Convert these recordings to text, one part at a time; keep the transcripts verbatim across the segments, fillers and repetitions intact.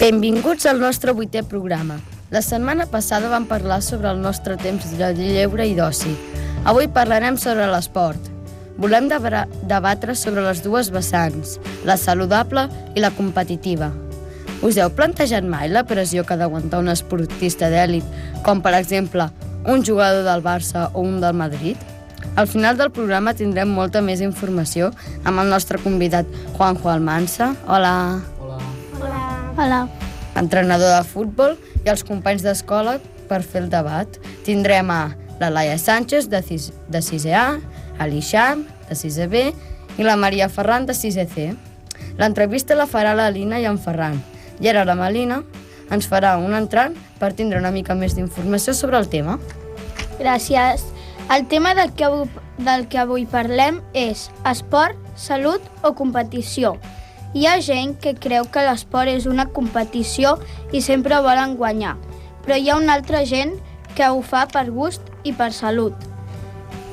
Benvinguts al nostre vuitè programa. La setmana passada vam parlar sobre el nostre temps de lleure i d'oci. Avui parlarem sobre l'esport. Volem debatre sobre les dues vessants, la saludable i la competitiva. Us heu plantejat mai la pressió que ha d'aguantar un esportista d'èlit, com per exemple un jugador del Barça o un del Madrid? Al final del programa tindrem molta més informació amb el nostre convidat Juanjo Almansa. Hola. Hola. Hola. Hola. Entrenador de futbol, i els companys d'escola per fer el debat. Tindrem a la Laia Sánchez de, cis, de sisè A, a l'Ixam de sisè B i la Maria Ferran de sisè C. L'entrevista la farà la Lina i en Ferran. I ara la Melina ens farà un entrant per tindre una mica més d'informació sobre el tema. Gràcies. El tema del que, avui, del que avui parlem és esport, salut o competició. Hi ha gent que creu que l'esport és una competició i sempre volen guanyar, però hi ha una altra gent que ho fa per gust i per salut.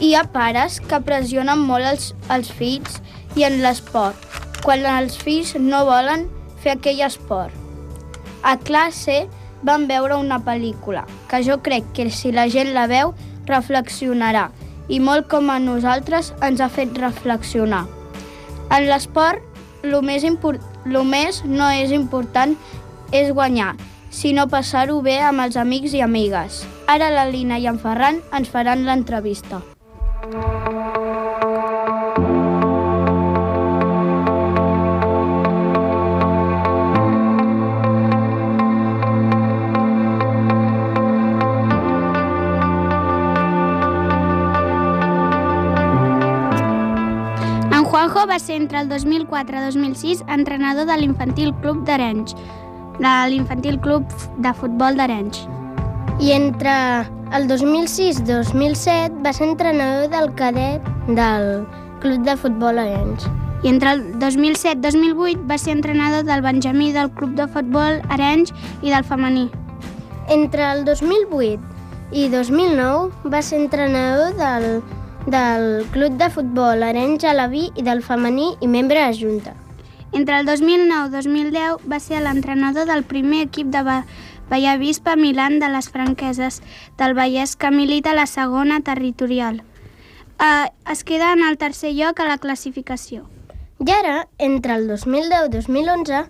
Hi ha pares que pressionen molt els, els fills i en l'esport, quan els fills no volen fer aquell esport. A classe vam veure una pel·lícula, que jo crec que si la gent la veu, reflexionarà, i molt com a nosaltres ens ha fet reflexionar. En l'esport, el més, import... lo més no és important és guanyar, sinó passar-ho bé amb els amics i amigues. Ara la Lina i en Ferran ens faran l'entrevista. Juanjo va ser entre el dos mil quatre i dos mil sis entrenador de l'Infantil Club d'Arenys, de l'Infantil Club de Futbol d'Arenys. I entre el dos mil sis i dos mil set va ser entrenador del cadet del Club de Futbol d'Arenys. I entre el dos mil set i dos mil vuit va ser entrenador del Benjamí del Club de Futbol Arenys i del femení. Entre el dos mil vuit i dos mil nou va ser entrenador del del Club de Futbol Arenys Alaví i del femení i membre de Junta. Entre el dos mil nou i dos mil deu va ser l'entrenador del primer equip de Bellavista Milan de les franqueses del Vallès que milita a la segona territorial. Eh, es queda en el tercer lloc a la classificació. I ara, entre el dos mil deu i dos mil onze,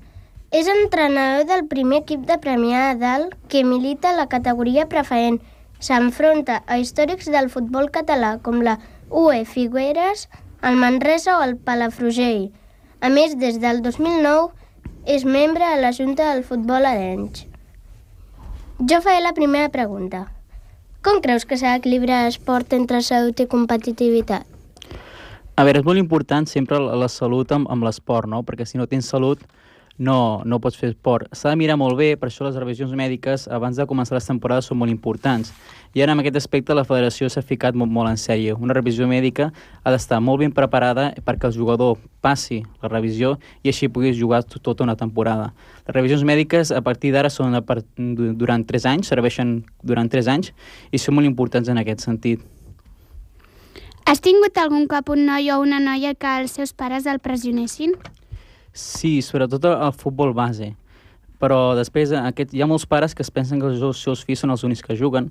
és entrenador del primer equip de Premià de Dalt que milita a la categoria preferent. S'enfronta a històrics del futbol català com la U E Figueres, el Manresa o el Palafrugell. A més, des del dos mil nou és membre de la Junta del Futbol Arenys. Jo faré la primera pregunta. Com creus que s'ha d'equilibrar l'esport entre salut i competitivitat? A veure, és molt important sempre la salut amb, amb l'esport, no? Perquè si no tens salut no, no pots fer esport. S'ha de mirar molt bé, per això les revisions mèdiques abans de començar les temporades són molt importants. I ara en aquest aspecte la federació s'ha ficat molt, molt en sèrio. Una revisió mèdica ha d'estar molt ben preparada perquè el jugador passi la revisió i així puguis jugar tota una temporada. Les revisions mèdiques a partir d'ara són per, durant tres anys, serveixen durant tres anys i són molt importants en aquest sentit. Has tingut algun cop un noi o una noia que els seus pares el pressionessin? Sí, sobretot el futbol base, però després aquest, hi ha molts pares que es pensen que els seus fills són els únics que juguen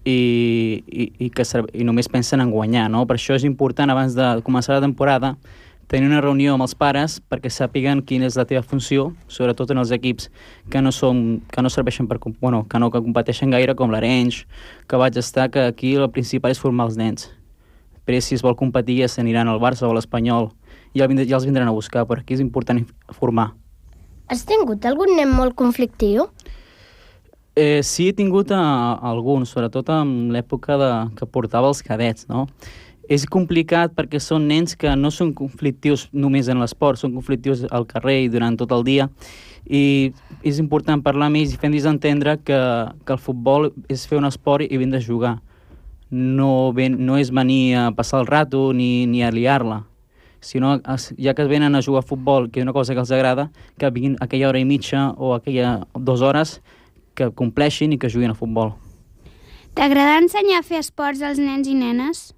i, i, i que i només pensen en guanyar, no? Per això és important abans de començar la temporada tenir una reunió amb els pares perquè sàpiguen quina és la teva funció, sobretot en els equips que no, són, que no serveixen per, bueno, que no que competeixen gaire com l'Arenys, que vaig estar, que aquí el principal és formar els nens. Però si es vol competir ja s'aniran al Barça o a l'Espanyol, ja els vindran a buscar, però aquí és important formar. Has tingut algun nen molt conflictiu? Eh, sí, he tingut a, a algun, sobretot en l'època de, que portava els cadets, no? És complicat perquè són nens que no són conflictius només en l'esport, són conflictius al carrer i durant tot el dia, i és important parlar amb ells i fent-los entendre que, que el futbol és fer un esport i vindre a jugar. No, ven, no és venir a passar el rato ni, ni a liar-la, sinó ja que venen a jugar a futbol, que és una cosa que els agrada, que vinguin aquella hora i mitja o aquella dues hores que compleixin i que juguin a futbol. T'agrada ensenyar a fer esports als nens i nenes?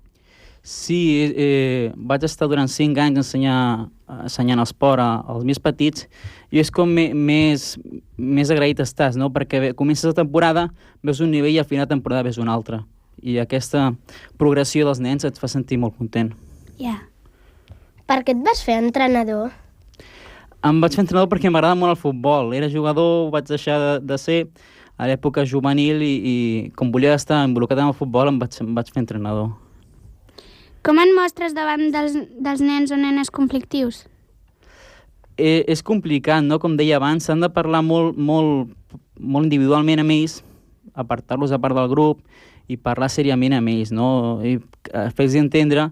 Sí, eh, vaig estar durant cinc anys ensenyar, ensenyant esport als més petits i és com me, més, més agraït estàs, no? Perquè bé, comences la temporada, veus un nivell i al final de temporada veus un altre. I aquesta progressió dels nens et fa sentir molt content. Ja. Yeah. Per què et vas fer entrenador? Em vaig fer entrenador perquè m'agrada molt el futbol. Era jugador, ho vaig deixar de, de ser a l'època juvenil i, i com volia estar involucrat en el futbol em vaig, em vaig fer entrenador. Com et mostres davant dels, dels nens o nenes conflictius? Eh, és complicat, no? Com deia abans, s'han de parlar molt, molt, molt individualment amb ells, apartar-los a part del grup i parlar seriament amb ells, no? I fer-los entendre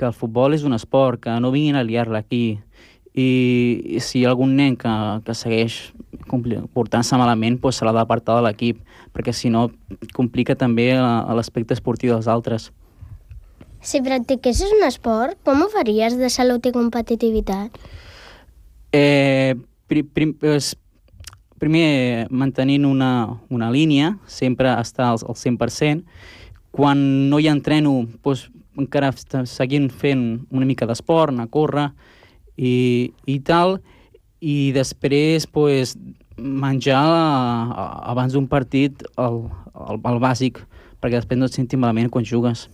que el futbol és un esport, que no vinguin a liar-la aquí. I, i si hi ha algun nen que, que segueix portant-se malament, doncs se l'ha d'apartar de l'equip, perquè si no complica també l'aspecte esportiu dels altres. Si practiquessis un esport, com ho faries de salut i competitivitat? Eh, pri, prim, pues, primer, mantenint una, una línia, sempre estar al, al cent per cent. Quan no hi entreno, doncs, encara seguint fent una mica d'esport, anar a córrer i, i tal. I després, pues, menjar abans d'un partit el, el, el bàsic, perquè després no et sentis malament quan jugues.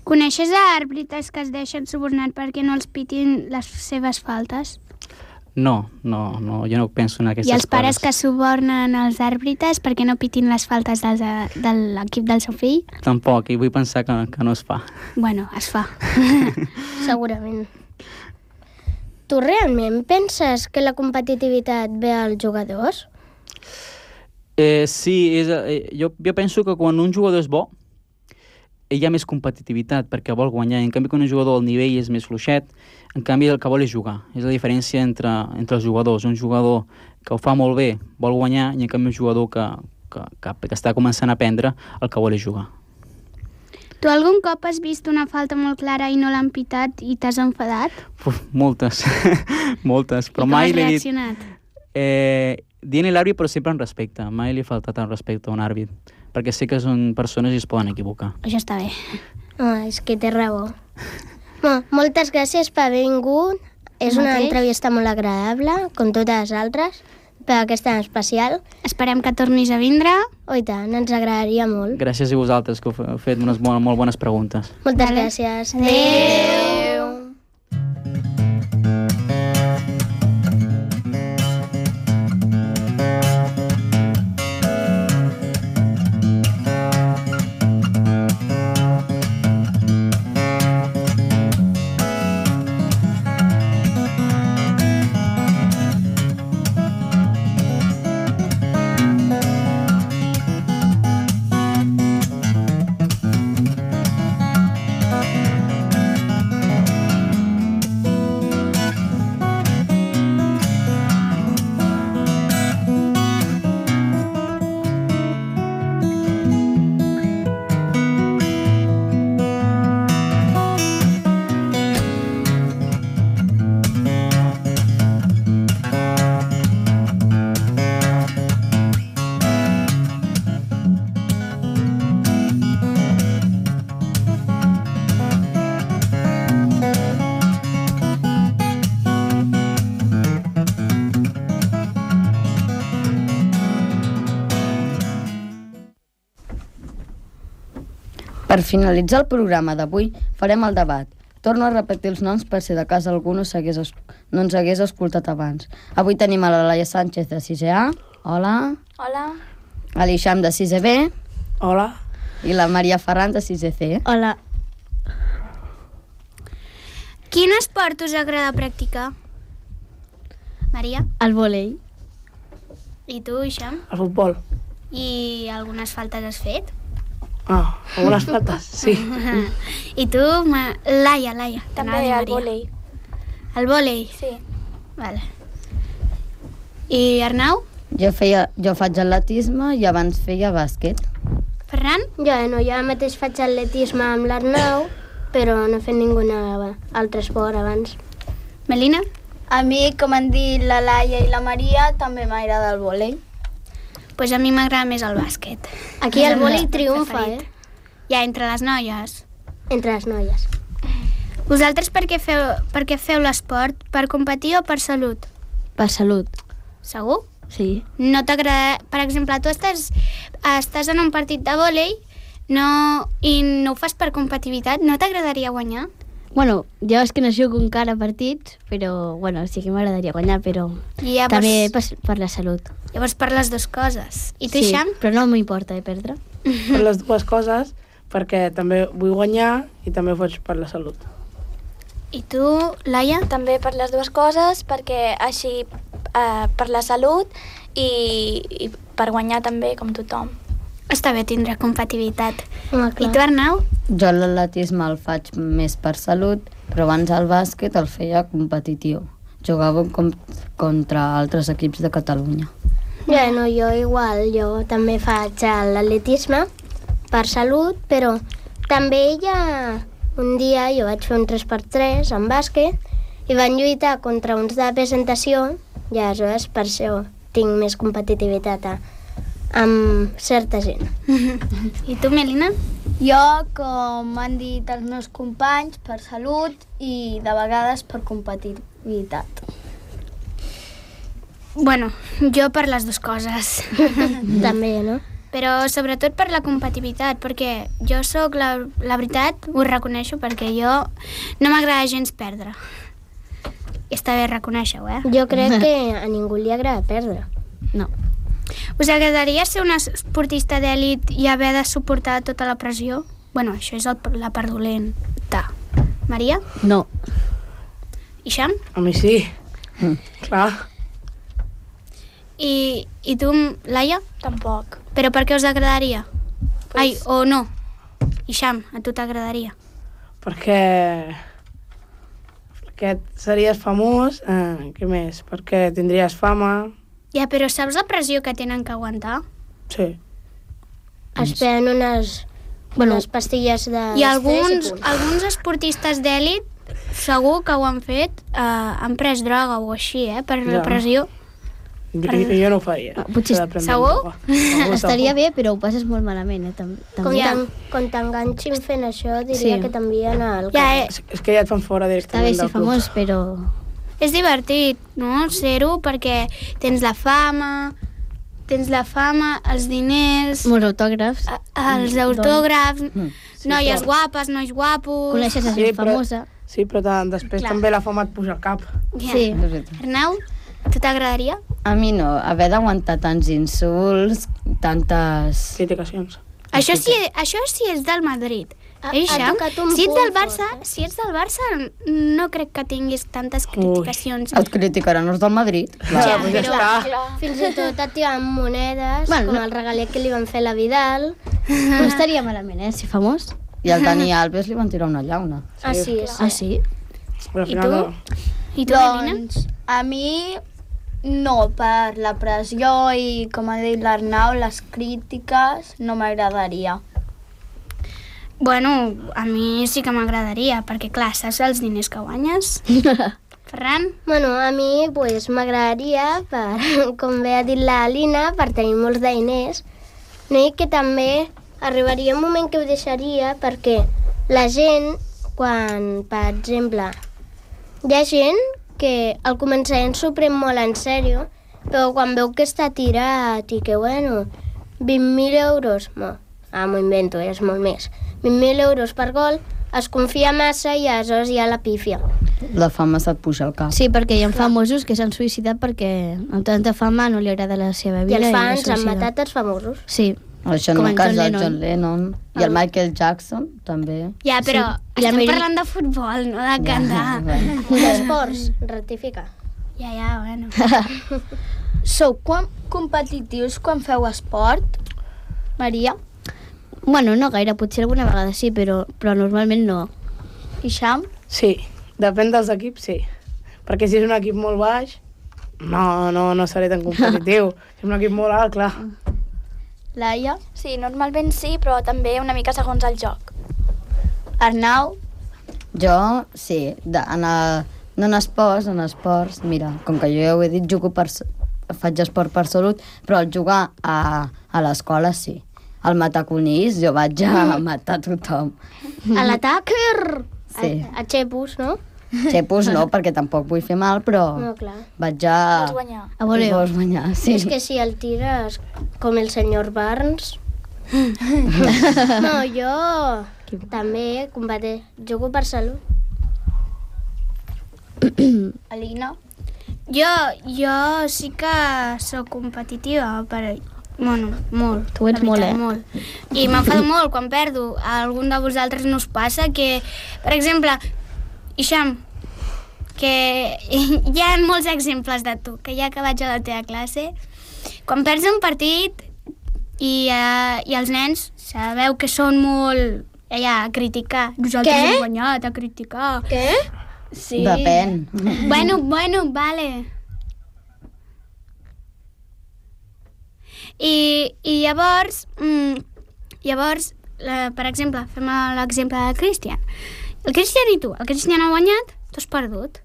Coneixes a àrbitres que es deixen subornar perquè no els pitin les seves faltes? No, no, no, jo no penso en aquestes coses. I els pares coses. Que subornen els àrbitres perquè no pitin les faltes dels, de l'equip del seu fill? Tampoc, i vull pensar que, que no es fa. Bueno, es fa. Segurament. Tu realment penses que la competitivitat ve als jugadors? Eh, sí, és, eh, jo, jo penso que quan un jugador és bo, hi ha més competitivitat perquè vol guanyar. En canvi, quan un jugador al nivell és més fluixet, en canvi el que vol és jugar. És la diferència entre, entre els jugadors. Un jugador que ho fa molt bé vol guanyar i en canvi un jugador que, que, que, que està començant a aprendre el que vol és jugar. Tu algun cop has vist una falta molt clara i no l'han pitat i t'has enfadat? Uf, moltes, moltes. Però I com mai has reaccionat? Eh, dient-li l'àrbit però sempre en respecte. Mai li he faltat en respecte a un àrbit, perquè sé que són persones i es poden equivocar. Això està bé. Oh, és que té raó. Bueno, moltes gràcies per haver vingut. És una Mateix. entrevista molt agradable, com totes les altres, per aquesta en especial. Esperem que tornis a vindre. Oh, i tant, ens agradaria molt. Gràcies a vosaltres, que heu fet unes molt, molt bones preguntes. Moltes Vale. gràcies. Adéu. Per finalitzar el programa d'avui, farem el debat. Torno a repetir els noms per si de cas algú no, es... no ens hagués escoltat abans. Avui tenim a la Laia Sánchez de sisè A. Hola. Hola. A l'Ixam de sisè B. Hola. I la Maria Ferran de sisè C. Hola. Quin esport us agrada practicar? Maria? El vòlei. I tu, Ixam? El futbol. I algunes faltes has fet? Ah, algunes faltes, sí. I tu, Ma... Laia, Laia. També T'anava a dir el Maria. vòlei. El vòlei? Sí. Vale. I Arnau? Jo, feia, jo faig atletisme i abans feia bàsquet. Ferran? Jo, no, jo mateix faig atletisme amb l'Arnau, però no he fet ningú altre esport abans. Melina? A mi, com han dit la Laia i la Maria, també m'agrada el vòlei. Pues a mi m'agrada més el bàsquet. Aquí És el meu vòlei esport triomfa, preferit. eh? Ja, entre les noies. Entre les noies. Vosaltres per què feu, per què feu l'esport? Per competir o per salut? Per salut. Segur? Sí. No t'agrada... Per exemple, tu estàs, estàs en un partit de vòlei no, i no ho fas per competitivitat. No t'agradaria guanyar? Bueno, ja és que no jugo encara partits, però bueno, sí que m'agradaria guanyar, però I llavors, també per, per la salut. Llavors per les dues coses. I tu, Sí, Ixam? però no m'importa de perdre. Per les dues coses, perquè també vull guanyar i també ho faig per la salut. I tu, Laia? També per les dues coses, perquè així eh, per la salut i, i per guanyar també, com tothom. Està bé tindre competitivitat. Home, I clar. tu, Arnau? Jo l'atletisme el faig més per salut, però abans el bàsquet el feia competitiu. Jugava com, contra altres equips de Catalunya. Bueno, jo igual, jo també faig l'atletisme per salut, però també hi ha... Un dia jo vaig fer un tres per tres en bàsquet i van lluitar contra uns de presentació i aleshores per això tinc més competitivitat a, amb certa gent. I tu, Melina? Jo, com han dit els meus companys, per salut i de vegades per competitivitat. Bueno, jo per les dues coses. També, no? Però sobretot per la competitivitat, perquè jo sóc, la, la veritat, ho reconeixo, perquè jo no m'agrada gens perdre. I està bé reconèixer-ho, eh? Jo crec que a ningú li agrada perdre. No. Us agradaria ser una esportista d'èlit i haver de suportar tota la pressió? Bueno, això és el, la part dolenta. Maria? No. Ixam? A mi sí. Mm. Clar. I, I tu, Laia? Tampoc. Però per què us agradaria? Pues... Ai, o no. Ixam, a tu t'agradaria? Perquè... Perquè series famós, eh, què més? Perquè tindries fama... Ja, però saps la pressió que tenen que aguantar? Sí. Es prenen unes, bueno, unes pastilles de... I alguns, alguns esportistes d'èlit segur que ho han fet, eh, han pres droga o així, eh, per la Ja. pressió. Jo, jo no ho faria. Ah, potser S'ha de prendre segur? droga. Segur, Estaria segur. bé, però ho passes molt malament, eh? Tam Com també. Ja. t'en- com t'enganxin fent això, diria Sí. que t'envien al Ja, carrer. eh, És, és que ja et fan fora Està directament bé ser del club. famós, però... és divertit, no?, ser-ho, perquè tens la fama, tens la fama, els diners, Molts autògrafs. a- els autògrafs, Mm. noies guapes, nois guapos... Coneixes a Sí, gent però- famosa. Sí, però tant, després Clar. també la fama et puja al cap. Ja. Sí. És veritat. Arnau, tu t'agradaria? A mi no, haver d'aguantar tants insults, tantes... Criticacions. Això sí, això sí és del Madrid. Ha- Eh, ha Ixam? tocat un Si ets punt del Barça, fort, eh? si ets del Barça, no crec que tinguis tantes criticacions. Et criticaran els del Madrid. Clar. Ja, pues ja però- està. Fins i tot et tiren monedes, Bueno, com no. el regalet que li van fer a la Vidal. No estaria malament, eh? Ser famós. I al Dani Alves li van tirar una llauna. Ah, sí, sí. Ah, sí? Però al I final tu? no. I tu, Melina? Doncs a mi no, per la pressió i, com ha dit l'Arnau, les crítiques no m'agradaria. Bueno, a mi sí que m'agradaria, perquè clar, saps els diners que guanyes? Ferran? Bueno, a mi pues, m'agradaria, per, com bé ha dit la Alina, per tenir molts de diners, no? I que també arribaria un moment que ho deixaria perquè la gent, quan, per exemple, hi ha gent que al començament s'ho pren molt en sèrio, però quan veu que està tirat i que, bueno, vint mil euros, no, ah, m'ho invento, és molt més, vint mil euros per gol, es confia massa i aleshores hi ha la pífia. La fama se't puja al cap. Sí, perquè hi ha famosos que s'han suïcidat perquè amb tanta fama no li agrada la seva I vida. els fans es han suïcida. matat els famosos. Sí. Això en Com el en cas John del Lennon. John Lennon. I el Michael Jackson, també. Ja, però I la estem Mary- parlant de futbol, no de cantar. bueno. D'esports, rectifica. Ja, ja, bueno. Sou quan competitius quan feu esport? Maria? Bueno, no gaire, potser alguna vegada sí, però, però normalment no. Ixam? Sí, depèn dels equips, sí. Perquè si és un equip molt baix, no, no, no seré tan competitiu. Si és un equip molt alt, clar. Laia? Sí, normalment sí, però també una mica segons el joc. Arnau? Jo, sí, de, en el, no en esports, en esports, mira, com que jo ja ho he dit, jugo per, s- faig esport per salut, però al jugar a, a l'escola sí. Al matar conills jo vaig a matar tothom. A l'atac, Sí. A, a Xepus, no? Xepus no, perquè tampoc vull fer mal, però No, clar. vaig a... Vols guanyar. A voleo. Vols guanyar, sí. És que si el tires com el senyor Barnes... No, jo també combate. Jugo per salut. Alina? Jo, jo sí que sóc competitiva, per... Bueno, molt. Tu ets la molt, veritat, eh? Molt. I m'enfado molt quan perdo. A algun de vosaltres no us passa que, per exemple, Ixam, que hi ha molts exemples de tu, que ja que vaig a la teva classe, quan perds un partit i, uh, i els nens sabeu que són molt allà a criticar. Nosaltres Què? hem guanyat, a criticar. Què? Sí. Depèn. Bueno, bueno, vale. I, i llavors, mm, llavors, la, per exemple, fem l'exemple de Cristian. El Cristian i tu, el Cristian ha guanyat, tu has perdut.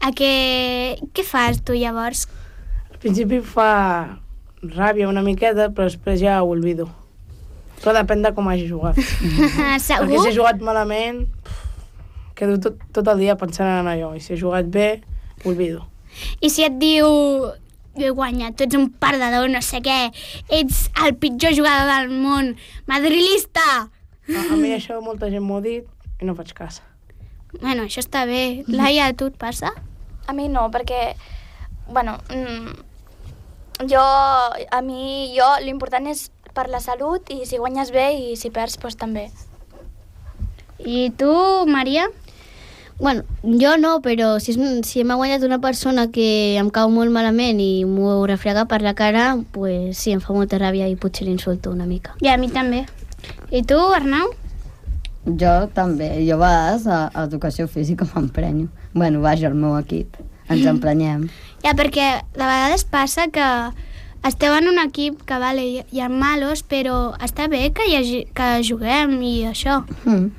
A què, què fas tu llavors? Al principi fa ràbia una miqueta, però després ja ho olvido. Però depèn de com hagi jugat. Perquè Segur? si he jugat malament, quedo tot, tot el dia pensant en allò. I si he jugat bé, ho olvido. I si et diu, jo he guanyat, tu ets un perdedor, no sé què, ets el pitjor jugador del món, madrilista! A, a mi això molta gent m'ho ha dit i no faig cas. Bueno, això està bé. Laia, a tu et passa? A mi no, perquè, bueno, mm, jo, a mi, jo, l'important és per la salut i si guanyes bé i si perds, doncs també. I tu, Maria? Bueno, jo no, però si, és, si m'ha guanyat una persona que em cau molt malament i m'ho refrega per la cara, pues sí, em fa molta ràbia i potser l'insulto una mica. I a mi també. I tu, Arnau? Jo també. Jo a vegades a, a educació física m'emprenyo. Bueno, vaja, el meu equip. Ens emprenyem. Ja, perquè de vegades passa que esteu en un equip que, vale, hi, hi ha malos, però està bé que, hi hagi, que juguem i això. Mm.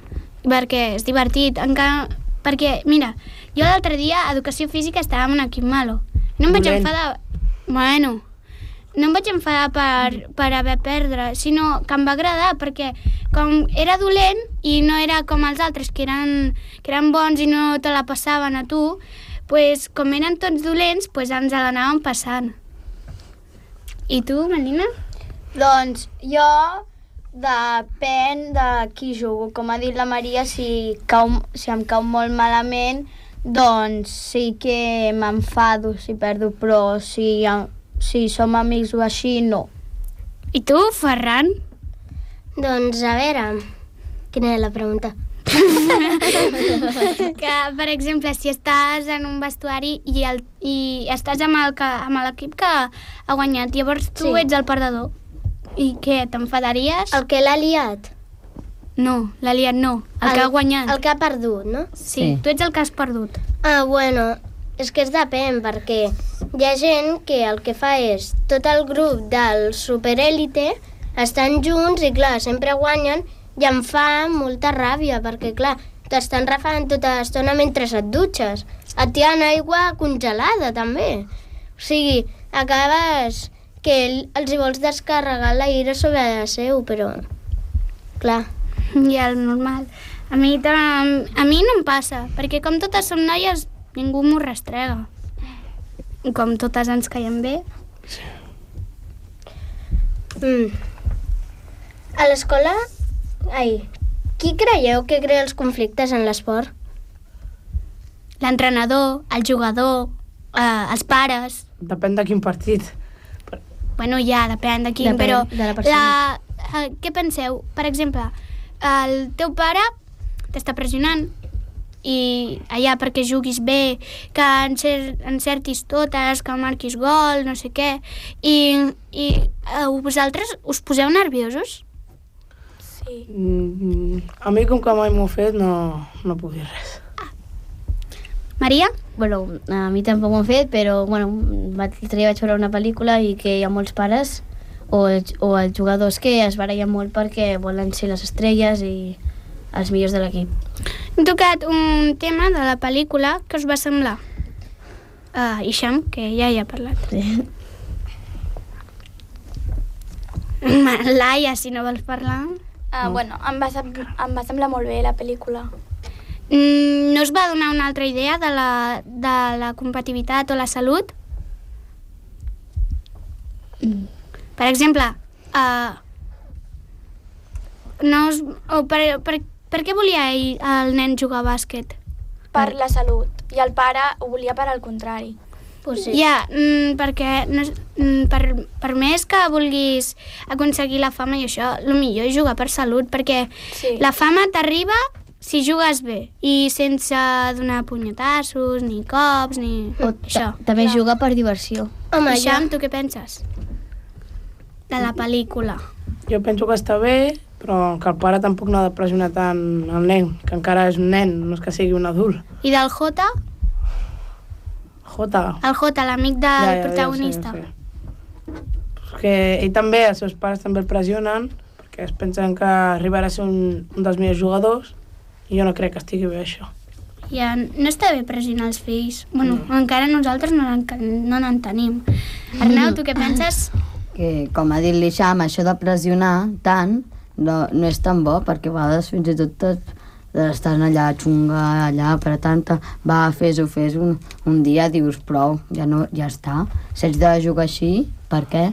Perquè és divertit. Encara, perquè, mira, jo l'altre dia a educació física estava en un equip malo. No em vaig Dolent. enfadar... Bueno, no em vaig enfadar per, per haver perdre, sinó que em va agradar, perquè com era dolent i no era com els altres, que eren, que eren bons i no te la passaven a tu, pues, com eren tots dolents, pues, ens l'anàvem passant. I tu, Melina? Doncs jo depèn de qui jugo. Com ha dit la Maria, si, cau, si em cau molt malament, doncs sí que m'enfado si perdo, però si, si som amics o així, no. I tu, Ferran? Doncs a veure, quina era la pregunta? Que, per exemple, si estàs en un vestuari i, el, i estàs amb el que- amb l'equip que ha guanyat, llavors tu Sí. ets el perdedor. I què, t'enfadaries? El que l'ha liat. No, l'ha liat no, el, que ha guanyat. El que ha perdut, no? Sí, Sí. tu ets el que has perdut. Ah, bueno, és que es depèn, perquè hi ha gent que el que fa és tot el grup del superèlite estan junts i, clar, sempre guanyen i em fa molta ràbia, perquè, clar, t'estan refant tota l'estona mentre et dutxes. Et tiren aigua congelada, també. O sigui, acabes que els hi vols descarregar l'aire sobre la seu, però, clar. I el normal. A mi, tam- a mi no em passa, perquè com totes som noies, ningú m'ho rastrega. I com totes ens caiem bé. Mm. A l'escola, ai, qui creieu que crea els conflictes en l'esport? L'entrenador, el jugador, eh, els pares... Depèn de quin partit. Bueno, ja, depèn de quin, Depèn però... de la persona. La, eh, què penseu? Per exemple, el teu pare t'està pressionant i allà perquè juguis bé, que encer encertis totes, que marquis gol, no sé què, i, i eh, vosaltres us poseu nerviosos? Sí. Mm, a mi, com que mai m'ho he fet, no, no puc dir res. Maria? Bueno, a mi tampoc m'ho han fet, però bueno, l'altre dia vaig veure una pel·lícula i que hi ha molts pares o, o els jugadors que es barallen molt perquè volen ser les estrelles i els millors de l'equip. Hem tocat un tema de la pel·lícula que us va semblar. Uh, Ixam, que ja hi ha parlat. Sí. Laia, si no vols parlar... Ah, bueno, em va, sem em va semblar molt bé la pel·lícula. Mm, no us va donar una altra idea de la, de la competitivitat o la salut? Mm. Per exemple, uh, no us, o per, per, per què volia ell, el nen jugar a bàsquet? Per la salut. I el pare ho volia per al contrari. Pues sí. Ja, mm, perquè no, mm, per, per més que vulguis aconseguir la fama i això, el millor és jugar per salut, perquè Sí. la fama t'arriba si jugues bé i sense donar punyetassos, ni cops, ni O això. ta- també jugar per diversió. Home, I jo, Xam, tu què penses? De la pel·lícula. Jo penso que està bé, però que el pare tampoc no ha de pressionar tant el nen, que encara és un nen, no és que sigui un adult. I del Jota? Jota. El Jota, l'amic del Ja, ja, ja ho sé, protagonista. ja ho sé. Perquè ell també, els seus pares també el pressionen, perquè es pensen que arribarà a ser un, un dels millors jugadors, i jo no crec que estigui bé això. Ja, no està bé pressionar els fills. Bueno, encara nosaltres no n'en no n'en tenim. Arnau, tu què penses? Que, com ha dit l'Ixam, això de pressionar tant no, no és tan bo, perquè a vegades fins i tot tot estan allà xunga, allà apretant-te, va, fes-ho, fes-ho, un, un dia dius prou, ja, no, ja està. Si ets de jugar així, per què?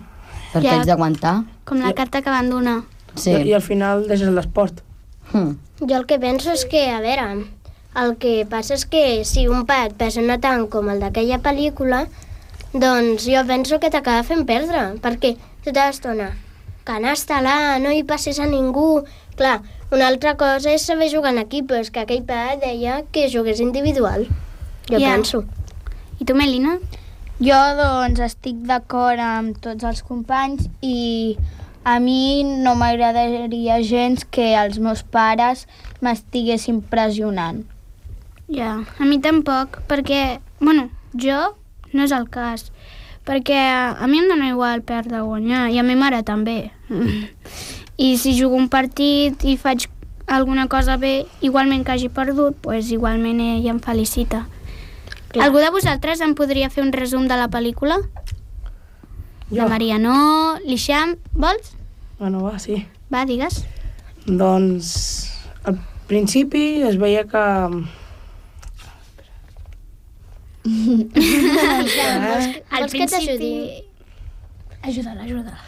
Per què Ja. ets d'aguantar? Com la carta que van donar. Sí. I, I al final deixes l'esport. Hm. jo el que penso és que, a veure, el que passa és que si un pa et pressiona tant com el d'aquella pel·lícula, doncs jo penso que t'acaba fent perdre, perquè tota l'estona, canasta-la, no hi passes a ningú. Clar, una altra cosa és saber jugar en equip, però és que aquell pa deia que jugués individual. Jo Ja. penso. I tu, Melina? Jo, doncs, estic d'acord amb tots els companys i a mi no m'agradaria gens que els meus pares m'estiguessin pressionant. Ja, a mi tampoc, perquè, bueno, jo no és el cas, perquè a mi em dona igual perdre o guanyar, i a mi mare també. I si jugo un partit i faig alguna cosa bé, igualment que hagi perdut, doncs igualment ella em felicita. Clar. Algú de vosaltres em podria fer un resum de la pel·lícula? La Marianó, l'Ixam, vols? Bueno, va, sí. Va, digues. Doncs al principi es veia que... Al Vols que t'ajudi? Ajuda'l, ajuda'l.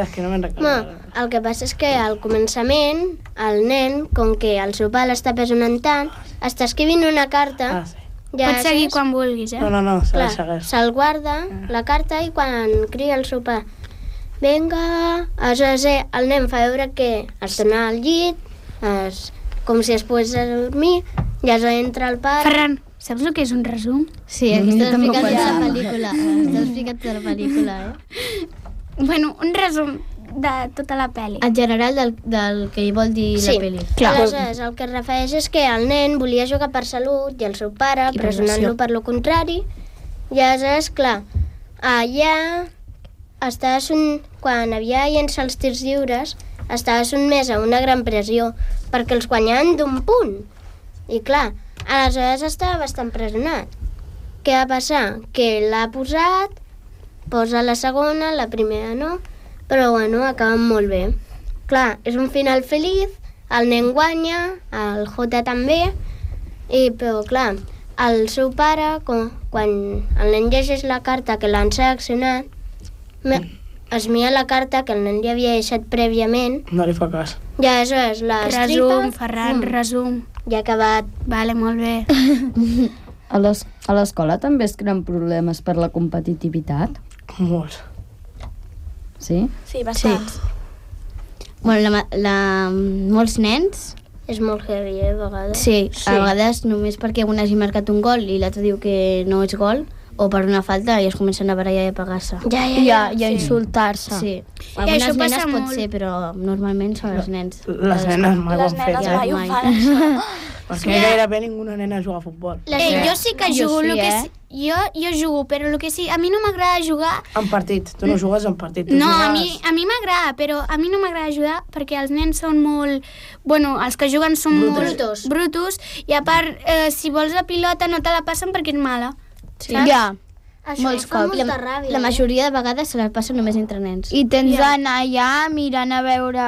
És que no me'n recordo. No, el que passa és que al començament el nen, com que el seu pare l'està pressionant tant, està escrivint una carta. Ah, sí. Ja Pots seguir saps? quan vulguis, eh? No, no, no, s'ha de Clar, seguir. se'l guarda, la carta, i quan crida el seu pare, vinga, aleshores eh, el nen fa veure que es torna al llit, es, com si es pogués dormir, i aleshores entra el pare. Ferran, saps el que és un resum? Sí, aquí Jo està també ho explicat tota la pensava. pel·lícula. Està explicat tota la pel·lícula, eh? Bueno, un resum de tota la pel·li. En general del, del que hi vol dir Sí, la pel·li. aleshores el que es refereix és que el nen volia jugar per salut i el seu pare I per pressionant-lo versió. per lo contrari, i aleshores, clar, allà estava son... quan havia de llençar els tirs lliures estava sotmès a una gran pressió perquè els guanyaven d'un punt, i clar, aleshores estava bastant pressionat. Què va passar? Que l'ha posat, posa la segona, la primera no, però bueno, acaben molt bé. Clar, és un final feliç, el nen guanya, el Jota també, i, però clar, el seu pare, com, quan el nen llegeix la carta que l'han seleccionat, me- es mira la carta que el nen li havia deixat prèviament, No li fa cas. i aleshores la estripa, Resum, Ferran, fum, resum. i ha acabat. Vale, molt bé. A les- a l'escola també es creen problemes per la competitivitat, Molts. sí? Sí, bastants. Bueno, la, la, molts nens, És molt heavy, eh, a vegades. sí, Sí. a vegades només perquè un hagi marcat un gol i l'altre diu que no és gol, o per una falta i es comencen a barallar i a pegar-se. Ja, ja, I ja. a, i a insultar-se. Sí. això Algunes passa nenes pot molt. ser, però normalment són els nens. Les nenes mai ho Les han fet. nenes ja, mai ho mai. fan, això. Perquè gairebé ninguna nena juga a futbol. Eh, jo sí que Jo jugo, sí, lo que eh? sí, jo, jo jugo, però el que sí, a mi no m'agrada jugar. En partit. Tu no jugues en partit. Tu No, a jugues... mi, a mi m'agrada, però a mi no m'agrada jugar perquè els nens són molt... Bueno, els que juguen són Brutos. molt... Brutos. Brutos. I a part, eh, si vols la pilota no te la passen perquè és mala. Sí. Saps? Ja. Això molts fa cops. molta La, ràbia, la eh? majoria de vegades se la passa només entre nens. I tens d'anar allà mirant a veure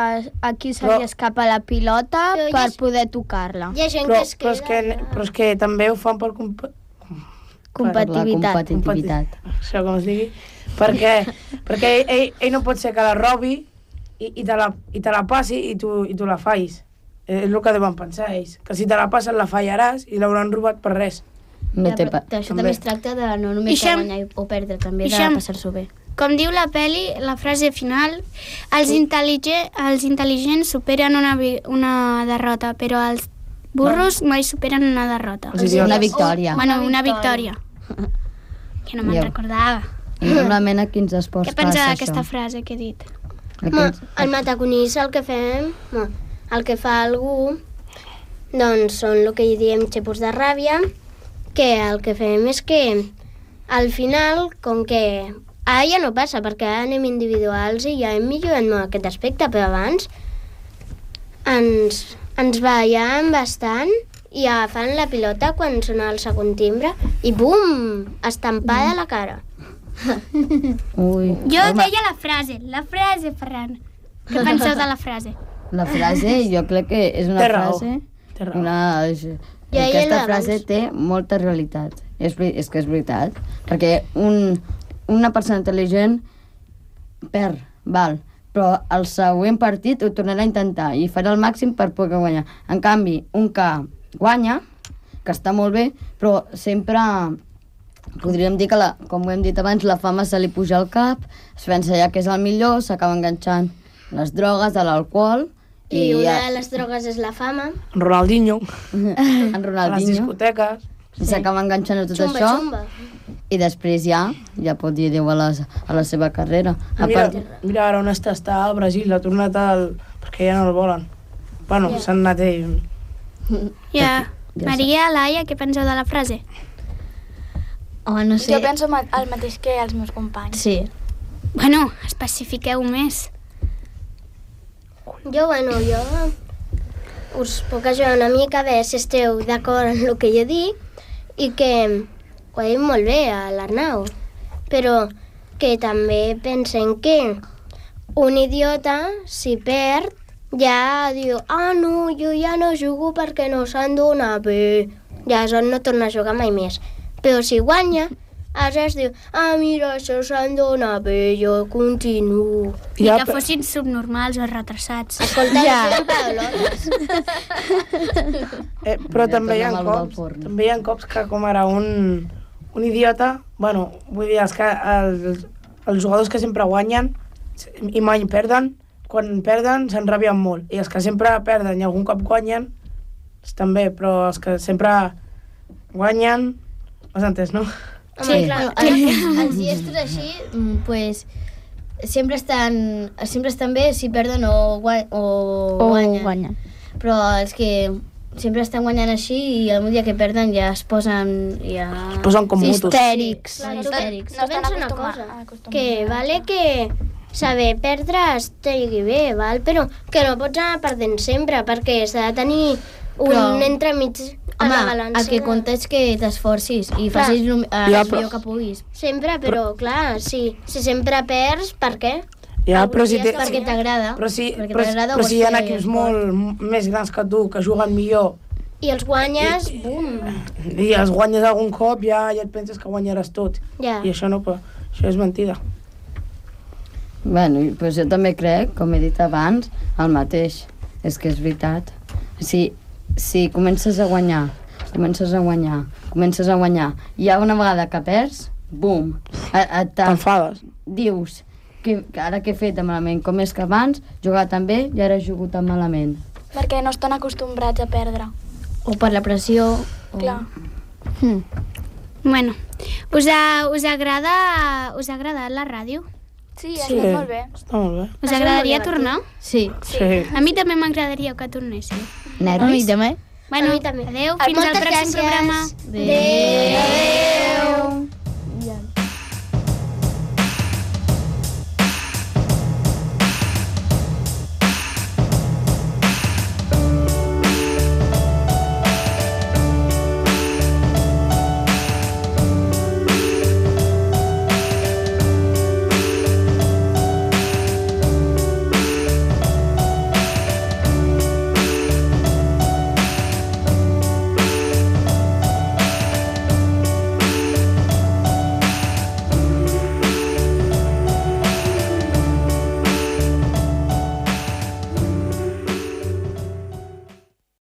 a qui se Però- li escapa la pilota Però hi per ha- poder tocar-la. Hi ha gent Però, que es però, queda... és que, però és que també ho fan per... Comp... Competitivitat. La competitivitat. Això com es digui. Perquè, perquè ell, ell, ell no pot ser que la robi i, i, te, la, i te la passi i tu, i tu la fais. És el que deuen pensar ells. Que si te la passen la fallaràs i l'hauran robat per res. No Ja, té però pa... Això també. també es tracta de no només de Ixam. guanyar i- o perdre, també de Ixam. passar-s'ho bé. Com diu la peli, la frase final, els, intel·ligents, els intel·ligents superen una, vi- una derrota, però els burros mai superen una derrota. Els idiotes. Una victòria. Bueno, una victòria. Que no me'n Ja. recordava. I normalment a quins esports Què pensa passa d'aquesta això? frase que he dit? Ma, Aquests... el mataconís el que fem, ma, el que fa algú, doncs són el que hi diem xepos de ràbia, que el que fem és que al final, com que ara ja no passa, perquè ara anem individuals i ja hem millorat molt aquest aspecte, però abans ens, ens veiem bastant i agafant la pilota quan sona el segon timbre i bum, estampada a la cara. Ui. Jo Home, deia la frase, la frase, Ferran. Què penseu de la frase? la frase jo crec que és una Té raó. frase... Té raó. Una... Ja hi Aquesta era frase abans. té molta realitat. És, veri- és que és veritat. Perquè un, una persona intel·ligent perd, val, però el següent partit ho tornarà a intentar i farà el màxim per poder guanyar. En canvi, un que guanya, que està molt bé, però sempre podríem dir que, la, com ho hem dit abans, la fama se li puja al cap, es pensa ja que és el millor, s'acaba enganxant les drogues, a l'alcohol, I, i una ja, de les drogues és la fama. Ronaldinho, en a les Ronaldinho, discoteques... i s'acaba enganxant a tot Xumba, això, xumba. i després ja, ja pot dir adéu a, les, a la seva carrera. A Mira, part, mira ara on està, està al Brasil, ha tornat al... perquè ja no el volen. Bueno, Ja. s'han anat ell. Ja. Ja Maria, Laia, què penseu de la frase? Home, no sé... Jo penso ma- el mateix que els meus companys. Sí. Bueno, especifiqueu més. Jo, bueno, jo us puc ajudar una mica a veure si esteu d'acord en el que jo dic i que ho ha dit molt bé a l'Arnau, però que també pensen que un idiota, si perd, ja diu, ah, no, jo ja no jugo perquè no se'n dona bé, ja aleshores no torna a jugar mai més. Però si guanya, aleshores diu, ah, mira, això se'n dona bé, jo continuo. I Ja, que però- fossin subnormals o retrasats. Escolta, ja. no paraulotes. Eh, però Ja també hi ha tornem al del cops, forn. també hi ha cops que com ara un, un idiota, bueno, vull dir, els, que, els, els jugadors que sempre guanyen i mai perden, quan perden s'enrabien molt, i els que sempre perden i algun cop guanyen, estan bé, però els que sempre guanyen, has entès, no? Home, clar, Bueno, els, els diestros així, mm, pues, sempre estan, sempre estan bé si perden o, gua o, O guanyen. guanyen. Però els que sempre estan guanyant així i el dia que perden ja es posen... Ja... Es posen com mutos. Histèrics. Clar, Sí, tu, histèrics. tu pensa una acostuma- cosa, acostumats que a- vale que saber perdre estigui bé, val? Però que no pots anar perdent sempre, perquè s'ha de tenir un Però- entremig a la Home, balança. el que compta és que t'esforcis i Clar. facis el, el Ja, millor però- que puguis. Sempre, però, clar, si, si sempre perds, per què? Ja, Algun però si, dia té, està Perquè t'agrada. però si, perquè però, t'agrada, ho però vols si hi ha fer equips esport. molt m- més grans que tu, que juguen millor, I els guanyes, bum, i els guanyes algun cop, ja, ja et penses que guanyaràs tot. ja. I això no, però això és mentida. bueno, i, pues jo també crec, com he dit abans, el mateix. És que és veritat. Si, si comences a guanyar, comences a guanyar, comences a guanyar, i ja una vegada que perds, bum, et, et T'enfades. dius que, que ara que he fet malament, com és que abans jugava tan bé i ara he jugat tan malament. Perquè no estan acostumbrats a perdre. O per la pressió. O... Clar. Bueno, us, ha, us, agrada, us ha agradat la ràdio? Sí, ha estat molt bé. Està molt bé. Us agradaria tornar? Sí. Sí. A mi també m'agradaria que tornéssiu. A mi Nervis? també. Bueno, A mi també. adeu, Ah, fins al moltes pròxim gràcies. programa. Adéu. Adéu.